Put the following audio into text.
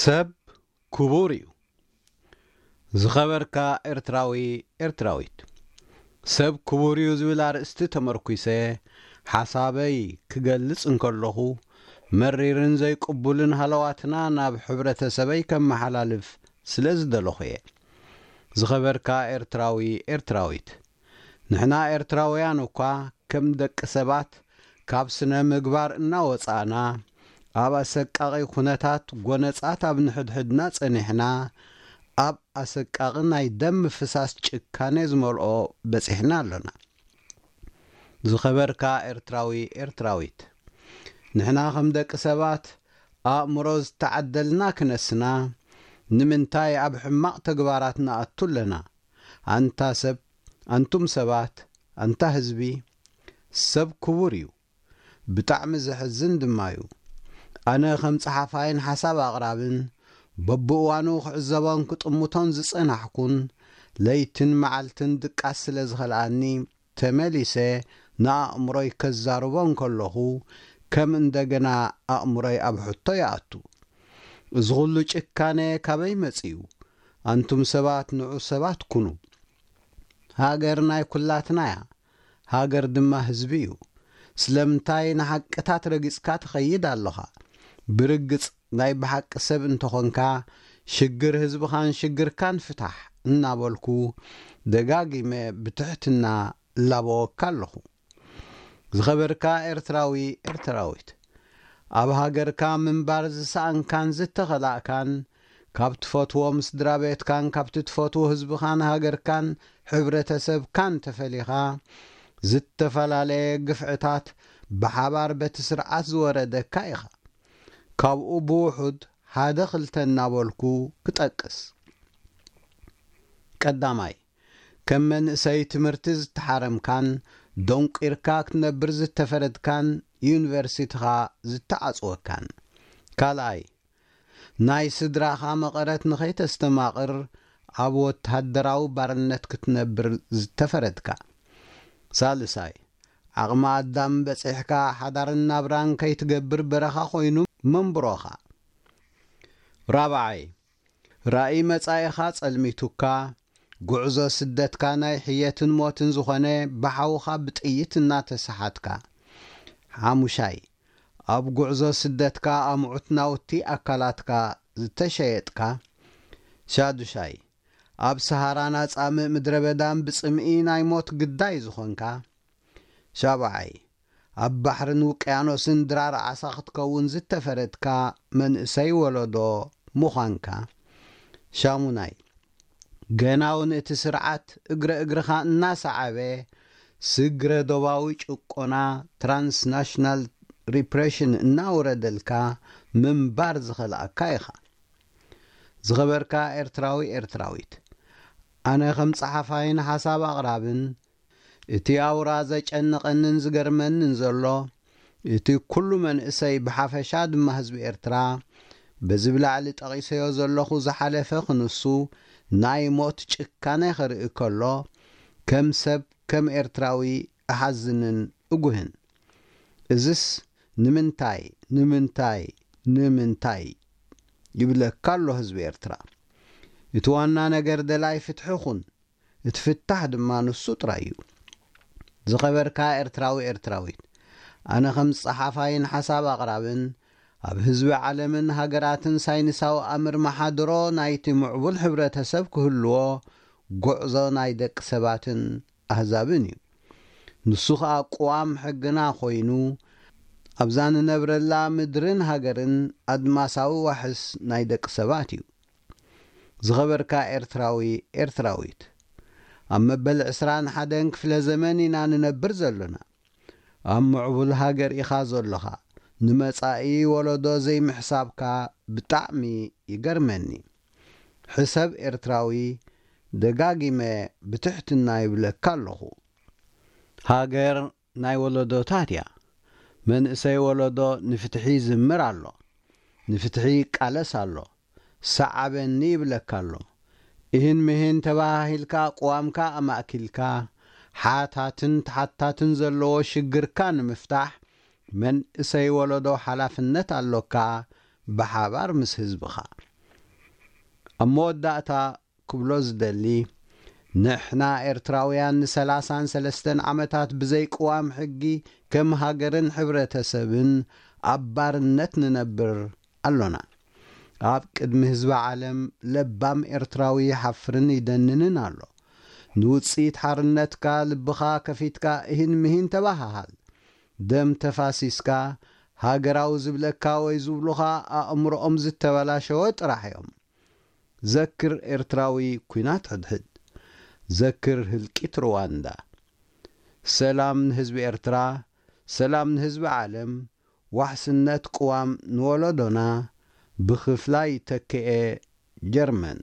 ሰብ ክቡር እዩ። ዝኸበርካ ኤርትራዊ፣ ኤርትራዊት፣ ሰብ ክቡር እዩ ዝብል ኣርእስቲ ተመርኲሰ ሓሳበይ ክገልጽ እንከለኹ፣ መሪርን ዘይቅቡልን ሃለዋትና ናብ ሕብረተሰበይ ከመሓላልፍ ስለ ዝደለኹ እየ። ዝኸበርካ ኤርትራዊ፣ ኤርትራዊት፣ ንሕና ኤርትራውያን እኳ ከም ደቂ ሰባት ካብ ስነ ምግባር እናወጻእና፣ ኣብ ኣሰቃቒ ኩነታት ጎነጻት ኣብ ንሕድሕድና ጸኒሕና፣ ኣብ ኣሰቃቒ ናይ ደም ምፍሳስ ጭካኔ ዝመልኦ በጺሕና ኣሎና። ዝኸበርካ ኤርትራዊ፣ ኤርትራዊት፣ ንሕና ከም ደቂ ሰባት ኣእምሮ ዝተዓደልና ክነስና፣ ንምንታይ ኣብ ሕማቕ ተግባራት ንኣቱ ኣለና? ኣንታ ሰብ፣ ኣንቱም ሰባት፣ ኣንታ ህዝቢ፣ ሰብ ክቡር እዩ። ብጣዕሚ ዘሕዝን ድማ እዩ። ኣነ ከም ጸሓፋይን ሓሳብ ኣቕራብን፣ በብእዋኑ ክዕዘቦን ክጥምቶን ዝጸናሕኩን፣ ለይትን መዓልትን ድቃስ ስለ ዝኸልኣኒ፣ ተመሊሰ ንኣእምሮይ ከዛርቦ እንከለኹ፣ ከም እንደገና ኣእምሮይ ኣብ ሕቶ ይኣቱ። እዚ ኹሉ ጭካነ ካበይ መጺኡ? ኣንቱም ሰባት ንዑ ሰባት ኩኑ። ሃገር ናይ ኩላትና እያ። ሃገር ድማ ህዝቢ እዩ። ስለምንታይ ንሓቅታት ረጊጽካ ትኸይድ ኣለኻ? ብርግጽ ናይ ብሓቂ ሰብ እንተኾንካ፣ ሽግር ህዝብኻን ሽግርካን ፍታሕ እናበልኩ ደጋጊመ ብትሕትና እላበወካ ኣለኹ። ዝኸበርካ ኤርትራዊ፣ ኤርትራዊት፣ ኣብ ሃገርካ ምንባር ዝሰኣንካን ዝተኸላእካን፣ ካብ ትፈትዎም ስድራ ቤትካን ካብቲ ትፈትዎ ህዝብኻን ሃገርካን ሕብረተሰብካን ተፈሊኻ፣ ዝተፈላለየ ግፍዕታት ብሓባር በቲ ስርዓት ዝወረደካ ኢኻ። ካብኡ ብውሑድ ሓደ ክልተ እናበልኩ ክጠቅስ። ቀዳማይ፣ ከም መንእሰይ ትምህርቲ ዝተሓረምካን ደንቂርካ ክትነብር ዝተፈረድካን ዩኒቨርሲቲኻ ዝተዓጽወካን። ካልኣይ፣ ናይ ስድራኻ መቐረት ንኸይተስተማቕር ኣብ ወተሃደራዊ ባርነት ክትነብር ዝተፈረድካ። ሳልሳይ፣ ዓቕሚ ኣዳም በጺሕካ ሓዳርን ናብራን ከይትገብር በረኻ ኮይኑ መንብሮኻ። ራብዓይ፣ ራእይ መጻኢኻ ጸልሚቱካ፣ ጉዕዞ ስደትካ ናይ ሕየትን ሞትን ዝኾነ ብሓውኻ ብጥይት እናተሰሓትካ። ሓሙሻይ፣ ኣብ ጉዕዞ ስደትካ ኣምዑት ናውቲ ኣካላትካ ዝተሸየጥካ። ሻዱሻይ፣ ኣብ ሰሃራን ኣጻምእ ምድረ በዳን ብጽምኢ ናይ ሞት ግዳይ ዝኾንካ። ሻብዓይ፣ ኣብ ባሕርን ውቅያኖስን ድራር ዓሳ ክትከውን ዝተፈረድካ መንእሰይ ወለዶ ምዃንካ። ሻሙናይ፣ ገና እውን እቲ ስርዓት እግረ እግርኻ እናሰዓበ ስግረ ዶባዊ ጭቆና፣ ትራንስናሽናል ሪፕሬሽን፣ እናወረደልካ ምንባር ዝኸልኣካ ኢኻ። ዝኸበርካ ኤርትራዊ፣ ኤርትራዊት፣ ኣነ ከም ጸሓፋይን ሓሳብ ኣቕራብን፣ እቲ ኣውራ ዘጨንቐንን ዝገርመንን ዘሎ፣ እቲ ኩሉ መንእሰይ ብሓፈሻ ድማ ህዝቢ ኤርትራ፣ በዚ ብላዕሊ ጠቒሰዮ ዘለኹ ዝሓለፈ ክንሱ ናይ ሞት ጭካነ ክርኢ ከሎ፣ ከም ሰብ፣ ከም ኤርትራዊ እሓዝንን እጉህን። እዝስ ንምንታይ፣ ንምንታይ፣ ንምንታይ ይብለካ ኣሎ ህዝቢ ኤርትራ። እቲ ዋና ነገር ደላይ ፍትሒ ኩን። እቲ ፍታሕ ድማ ንሱ ጥራይ እዩ። ዝኸበርካ ኤርትራዊ፣ ኤርትራዊት፣ ኣነ ከም ጸሓፋይን ሓሳብ ኣቕራብን ኣብ ህዝቢ ዓለምን ሃገራትን ሳይንሳዊ ኣምር መሓድሮ ናይቲ ምዕቡል ሕብረተሰብ ክህልዎ ጉዕዞ ናይ ደቂ ሰባትን ኣህዛብን እዩ። ንሱ ኸኣ ቅዋም ሕግና ኮይኑ፣ ኣብዛ ንነብረላ ምድርን ሃገርን ኣድማሳዊ ዋሕስ ናይ ደቂ ሰባት እዩ። ዝኸበርካ ኤርትራዊ፣ ኤርትራዊት፣ ኣብ መበል ዕስራን ሓደን ክፍለ ዘመን ኢና ንነብር ዘሎና። ኣብ ምዕቡል ሃገር ኢኻ ዘሎኻ። ንመጻኢ ወለዶ ዘይምሕሳብካ ብጣዕሚ ይገርመኒ። ሕሰብ ኤርትራዊ፣ ደጋጊመ ብትሕትና ይብለካ ኣለኹ። ሃገር ናይ ወለዶታት እያ። መንእሰይ ወለዶ ንፍትሒ ይዝምር ኣሎ፣ ንፍትሒ ይቃለስ ኣሎ፣ ሰዓበኒ ይብለካ ኣሎ። እህን ምህን ተባሃሂልካ ቅዋምካ ኣማእኪልካ፣ ሓታትን ተሓታትን ዘለዎ ሽግርካ ንምፍታሕ መንእሰይ ወለዶ ሓላፍነት ኣሎካ፣ ብሓባር ምስ ህዝብኻ። ኣብ መወዳእታ ክብሎ ዝደሊ፣ ንሕና ኤርትራውያን ንሰላሳን ሰለስተን ዓመታት ብዘይ ቅዋም ሕጊ ከም ሃገርን ሕብረተሰብን ኣብ ባርነት ንነብር ኣሎና። ኣብ ቅድሚ ህዝቢ ዓለም ለባም ኤርትራዊ ይሓፍርን ይደንንን ኣሎ። ንውጽኢት ሓርነትካ ልብኻ ከፊትካ እሂን ምሂን ተባሃሃል። ደም ተፋሲስካ ሃገራዊ ዝብለካ ወይ ዝብሉኻ ኣእምሮኦም ዝተበላሸወ ጥራሕ እዮም። ዘክር ኤርትራዊ ኩናት ሕድሕድ። ዘክር ህልቂት ሩዋንዳ። ሰላም ንህዝቢ ኤርትራ፣ ሰላም ንህዝቢ ዓለም፣ ዋሕስነት ቅዋም ንወለዶና። ብኽፍላይ ተክኤ ጀርመን።